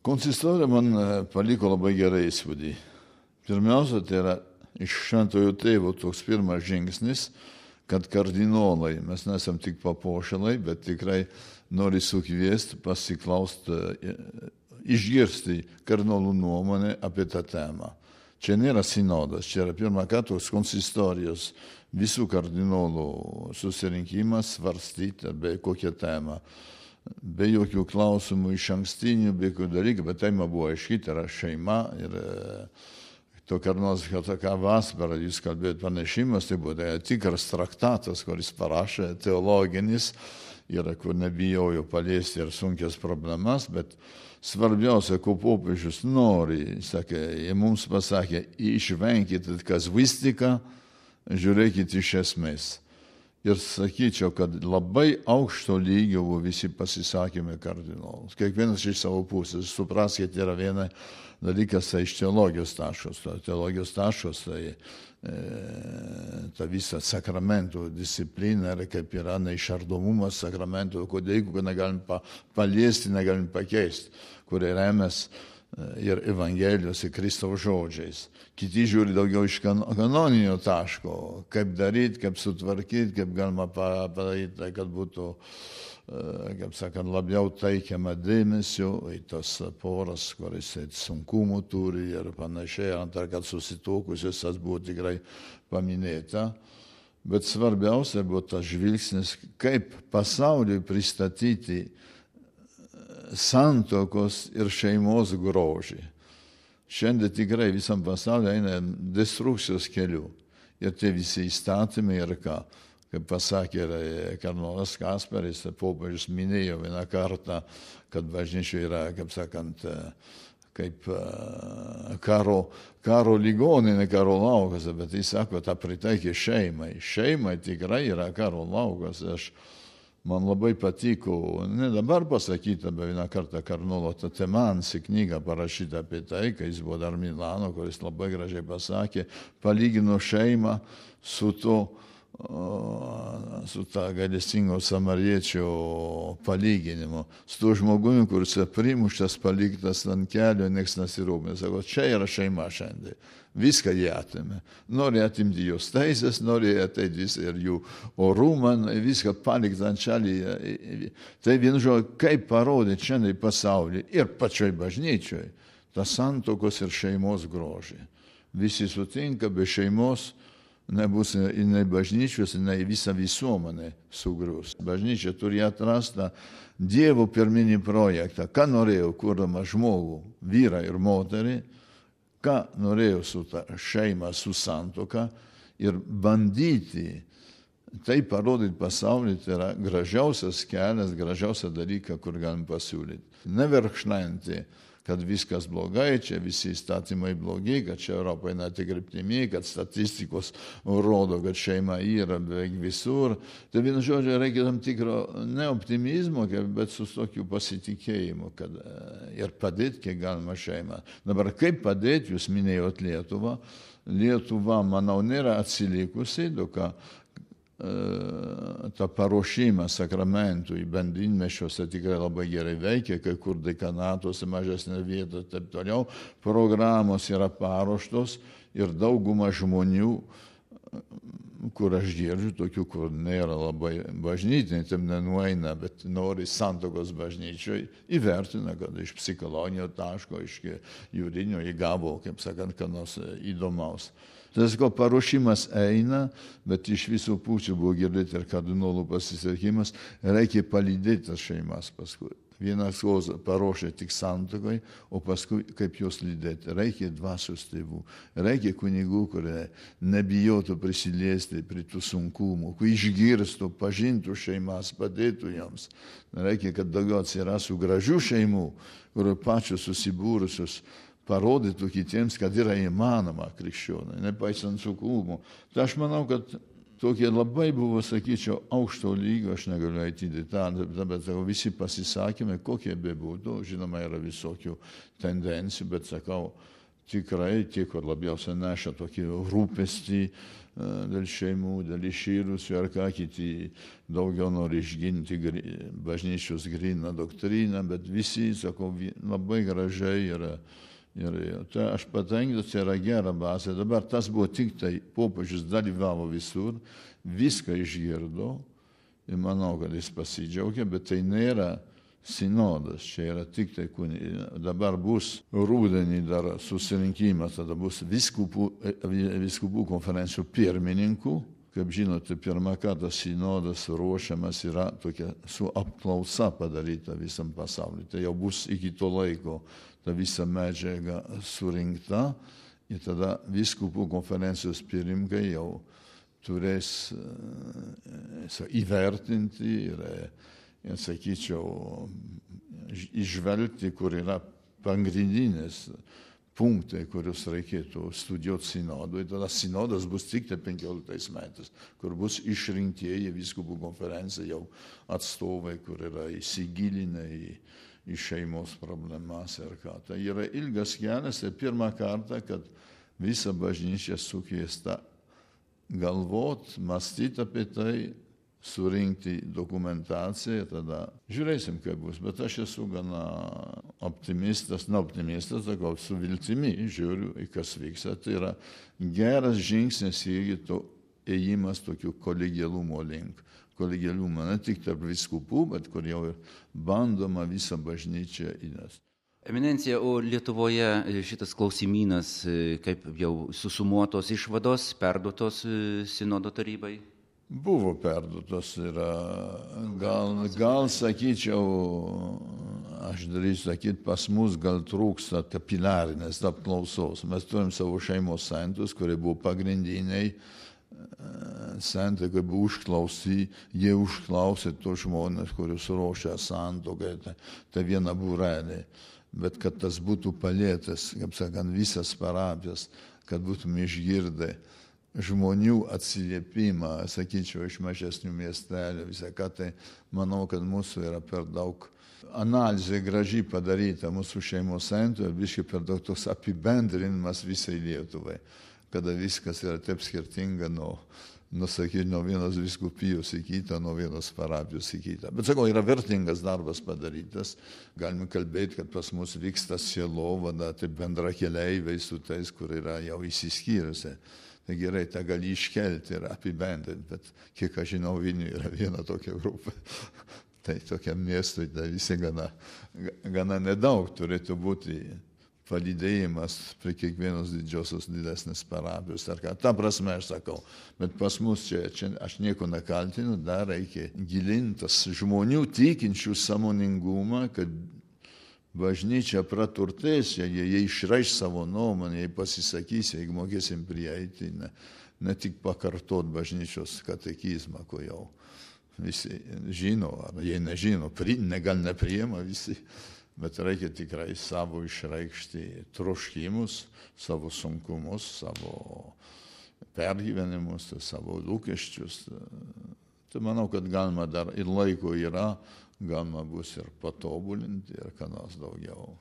Konsistorija man paliko labai gerą įspūdį. Pirmiausia, tai yra iš Šventojo Tėvo toks pirmas žingsnis, kad kardinolai, mes nesam tik papuošalai, bet tikrai nori sukviesti, pasiklausti, išgirsti kardinolų nuomonę apie tą temą. Čia nėra sinodas, čia yra pirmą kartą toks konsistorijos visų kardinolų susirinkimas svarstyti apie kokią temą. Be jokių klausimų iš ankstinių, be jokių dalykų, bet tema buvo aiški, tai yra šeima. Ir to kardinolas tokia vasara, jūs kalbėjote pranešimas, tai buvo tikras traktatas, kuris parašė teologinis, ir kur nebijojo paliesti ir sunkias problemas, bet svarbiausia, ko popiežius nori, sakė, mums pasakė, išvenkite kazuistiką, žiūrėkite iš esmės. Ir sakyčiau, kad labai aukšto lygio visi pasisakymai kardinolus. Kiekvienas iš savo pusės. Supraskite, yra viena dalykas iš teologijos taškos. Teologijos taškos tai ta visa sakramentų disciplina, kaip yra neišardomumas sakramentų, kodėl negalim paliesti, negalim pakeisti, kurie remės ir Evangelijos, ir Kristaus žodžiais. Kiti žiūri daugiau iš kanoninio taško, kaip daryti, kaip sutvarkyti, kaip galima padaryti, kad būtų, kaip sakant, labiau teikiama dėmesio į tas poras, kuris sunkumų turi ir panašiai, antra, kad susituokusios tas buvo tikrai paminėta. Bet svarbiausia buvo tas žvilgsnis, kaip pasauliui pristatyti santuokos ir šeimos grožį. Šiandien tikrai visam pasaulyje eina destrukcijos keliu. Ir tie visi įstatymai ir ką, kaip pasakė kardinolas Kasperis, popiežius minėjo vieną kartą, kad bažnyčia yra, kaip sakant, kaip karo ligoninė, karo laukas, bet jis sako, tą pritaikė šeimai. Šeimai tikrai yra karo laukas. Man labai patiko, ne dabar pasakyta, bet vieną kartą kardinolo Tatemansi knygą parašyta apie tai, kai jis buvo dar Milano, kuris labai gražiai pasakė, palygino šeimą su ta gailestingo samariečio palyginimu, su tuo žmogumi, kuris primuštas, paliktas ant kelio, nieks nesirūpina. Sako, čia yra šeima šiandien. Viską jie atėmė. Nori atimti jos teisės, nori ateiti ir jų orumą, viską palikti ant šalį. Tai vienu žodžiu, kaip parodyti šiandien pasaulyje ir pačioj bažnyčioj tą santuokos ir šeimos grožį. Visi sutinka, be šeimos nebus nei bažnyčios, nei visa visuomenė sugrius. Bažnyčia turi atrasti Dievo pirminį projektą. Ką norėjo, kurdama žmogų, vyrą ir moterį, ką norėjo su ta šeima, su santuoka ir bandyti tai parodyti pasaulyje, tai yra gražiausias kelias, gražiausia dalyka, kur galim pasiūlyti. Neverkšnainti, kad viskas blogai, čia visi įstatymai blogi, kad čia Europoje netik kryptimi, kad statistikos rodo, kad šeima yra beveik visur. Tai vienu žodžiu reikia tam tikro ne optimizmo, bet su tokiu pasitikėjimu, kad ir padėti, kiek galima šeimą. Dabar kaip padėti, jūs minėjot Lietuvą. Lietuva, manau, nėra atsilikusi, duka tą paruošimą sakramentų į bendrinmešiuose tikrai labai gerai veikia, kai kur dekanatuose mažesnė vieta ir taip toliau. Programos yra paruoštos ir dauguma žmonių, kur aš girdžiu, tokių, kur nėra labai bažnytiniai, tam nenueina, bet nori santuokos bažnyčioj, įvertina, kad iš psichologinio taško, iš juridinio įgavo, kaip sakant, ką nors įdomaus. Tai paruošimas eina, bet iš visų pusių buvo girdėti ir kardinolų pasisakymas, reikia palydėti tas šeimas paskui. Vienas paruošia tik santuokai, o paskui kaip juos lydėti. Reikia dvasios tėvų, reikia kunigų, kurie nebijotų prisiliesti prie tų sunkumų, kurie išgirstų, pažintų šeimas, padėtų joms. Reikia, kad daugiau atsirastų gražių šeimų, kurie pačios susibūrusios parodytų kitiems, kad yra įmanoma krikščionai, nepaisant sunkumų. Tai aš manau, kad tokie labai buvo, sakyčiau, aukšto lygio, aš negaliu eiti į detalę, bet visi pasisakymai, kokie bebūtų, žinoma, yra visokių tendencijų, bet sakau, tikrai tie, kur labiausiai neša tokį rūpestį dėl šeimų, dėl išyrusių ar ką, kiti daugiau nori išginti bažnyčios gryną doktriną, bet visi, sakau, labai gražiai yra. Ir tai aš patenkintas, tai yra gera bazė. Dabar tas buvo tik tai, popiežius dalyvavo visur, viską išgirdo ir manau, kad jis pasidžiaugia, bet tai nėra sinodas, čia yra tik tai dabar bus rudenį dar susirinkimas, tada bus vyskupų konferencijų pirmininkų. Kaip žinote, pirmą kartą sinodas ruošiamas yra tokia su apklausa padaryta visam pasauliu. Tai jau bus iki to laiko ta visa medžiaga surinkta ir tada vyskupų konferencijos pirmininkai jau turės įvertinti ir sakyčiau, išvelgti, kur yra pagrindinės punktai, kuriuos reikėtų studijuoti sinodui. Tada sinodas bus tik 15 metais, kur bus išrinktieji vyskupų konferencija jau atstovai, kur yra įsigilinę į šeimos problemas ir ką. Tai yra ilgas kelias ir pirmą kartą, kad visa bažnyčia sukviesta galvot, mąstyti apie tai, surinkti dokumentaciją, tada žiūrėsim, kaip bus. Bet aš esu gana optimistas, sakau, su viltimi žiūriu, į kas vyksta. Tai yra geras žingsnis irgi to ėjimas tokių kolegialumo link. Kolegialumo ne tik tarp vyskupų, bet kur jau ir bandoma visą bažnyčią įnešti. Eminencija, o Lietuvoje šitas klausimynas, kaip jau susumuotos išvados, perduotos sinodo tarybai? Buvo perduotos ir gal sakyčiau, aš darysiu sakyti, pas mus gal trūksta kapilarinės apklausos. Mes turim savo šeimos santus, kurie buvo pagrindiniai santai, kai buvo užklausyti, jie užklausė tos žmonės, kuriuos ruošia santuokai, tai viena būrelė. Bet kad tas būtų palėtas, kaip sakant, visas parapijas, kad būtume išgirdę žmonių atsiliepimą, sakyčiau, iš mažesnių miestelių, visą ką, tai manau, kad mūsų yra per daug analizė gražiai padaryta mūsų šeimos santuoje, biškai per daug toks apibendrinimas visai Lietuvai, kada viskas yra taip skirtinga nuo vienos vyskupijos į kitą, nuo vienos parapijos į kitą. Bet sakau, yra vertingas darbas padarytas. Galime kalbėti, kad pas mus vyksta sielovada, tai bendra keleiviai su tais, kur yra jau įsiskyrusi. Tai gerai, tą gali iškelti ir apibendrinti, bet kiek aš žinau, Vilniuje yra viena tokia grupė. Tai tokiam miestui tai visi gana nedaug turėtų būti palydėjimas prie kiekvienos didžiosios didesnės parapijos. Ta prasme aš sakau, bet pas mus čia aš nieko nekaltinu, dar reikia gilintas žmonių tikinčių sąmoningumą, kad bažnyčia praturtės, jie išreiš savo nuomonę, jie pasisakys, jeigu mokėsim prieiti, ne tik pakartot bažnyčios katekizmą, ko jau visi žino, ar jie nežino, gal nepriima visi, bet reikia tikrai savo išreikšti troškimus, savo sunkumus, savo pergyvenimus, savo lūkesčius. Tai manau, kad galima dar ir laiko yra, galima bus ir patobulinti ir ką nors daugiau.